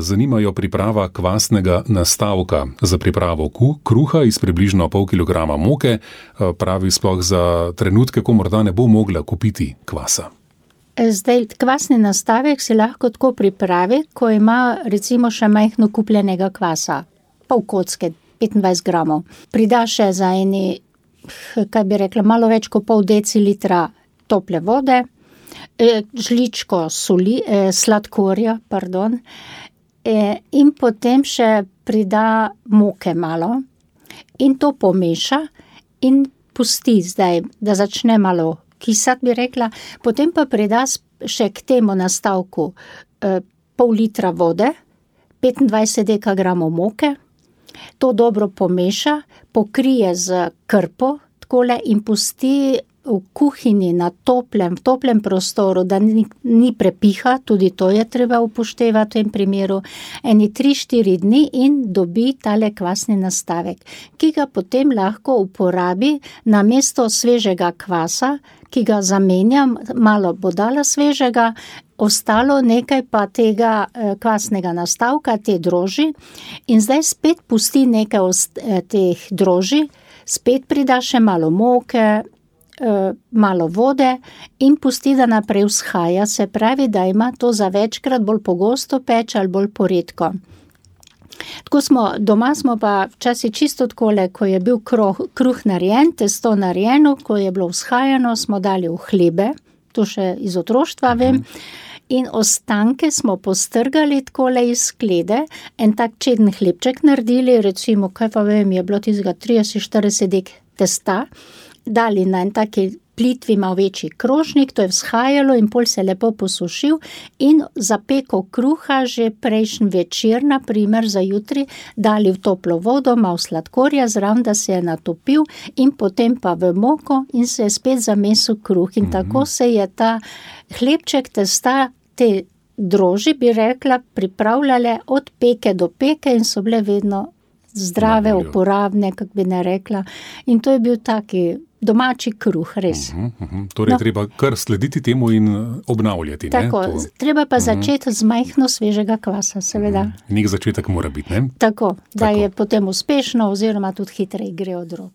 zanimajo priprava kvasnega nastavka za pripravo kruha iz približno pol kilograma moke. Pravi sploh za trenutke, ko morda ne bo mogla kupiti kvasa. Zdaj, kvasni nastavek si lahko tako pripravi, ko ima recimo še majhno kupljenega kvasa, pol kocke, 25 gramov. Prida še za eni, kaj bi rekla, malo več kot pol decilitra tople vode, žličko sladkorja, in potem še prida moke malo in to pomeša in pusti zdaj, da začne malo kisati, bi rekla, potem pa prida še k temu nastavku pol litra vode, 25 dekagramov moke, to dobro pomeša, pokrije z krpo takole in pusti v kuhinji na toplem prostoru, da ni prepiha, tudi to je treba upoštevati v tem primeru, eni 3-4 dni in dobi tale kvasni nastavek, ki ga potem lahko uporabi namesto svežega kvasa, ki ga zamenjam, malo bo dala svežega, ostalo nekaj pa tega kvasnega nastavka, te droži, in zdaj spet pusti nekaj teh droži, spet prida še malo moke, malo vode in pusti, da naprej vzhaja, se pravi, da ima to za večkrat, bolj pogosto peč ali bolj poredko. Doma smo pa včasih čisto takole, ko je bil kruh narejen, testo narejeno, ko je bilo vzhajano, smo dali v hlebe, to še iz otroštva vem, in ostanke smo postrgali takole iz sklede, en tak čeden hlebček naredili, recimo, kaj pa vem, je bilo tistega 30-40 dek testa, dali na en taki plitvi, malo večji krožnik, to je vzhajalo in pol se lepo posušil in za peko kruha že prejšnji večer, na primer za jutri, dali v toplo vodo, malo sladkorja zraven, da se je natopil in potem pa v moko in se je spet zamesil kruh in tako se je ta hlebček testa, te droži, bi rekla, pripravljale od peke do peke in so bile vedno zdrave, uporabne, kak bi ne rekla. In to je bil taki domači kruh, res. Torej, treba kar slediti temu in obnavljati. Tako, treba pa začeti z majhno svežega kvasa, seveda. Nek začetek mora biti, ne? Tako, da je potem uspešno oziroma tudi hitreje gre od rok.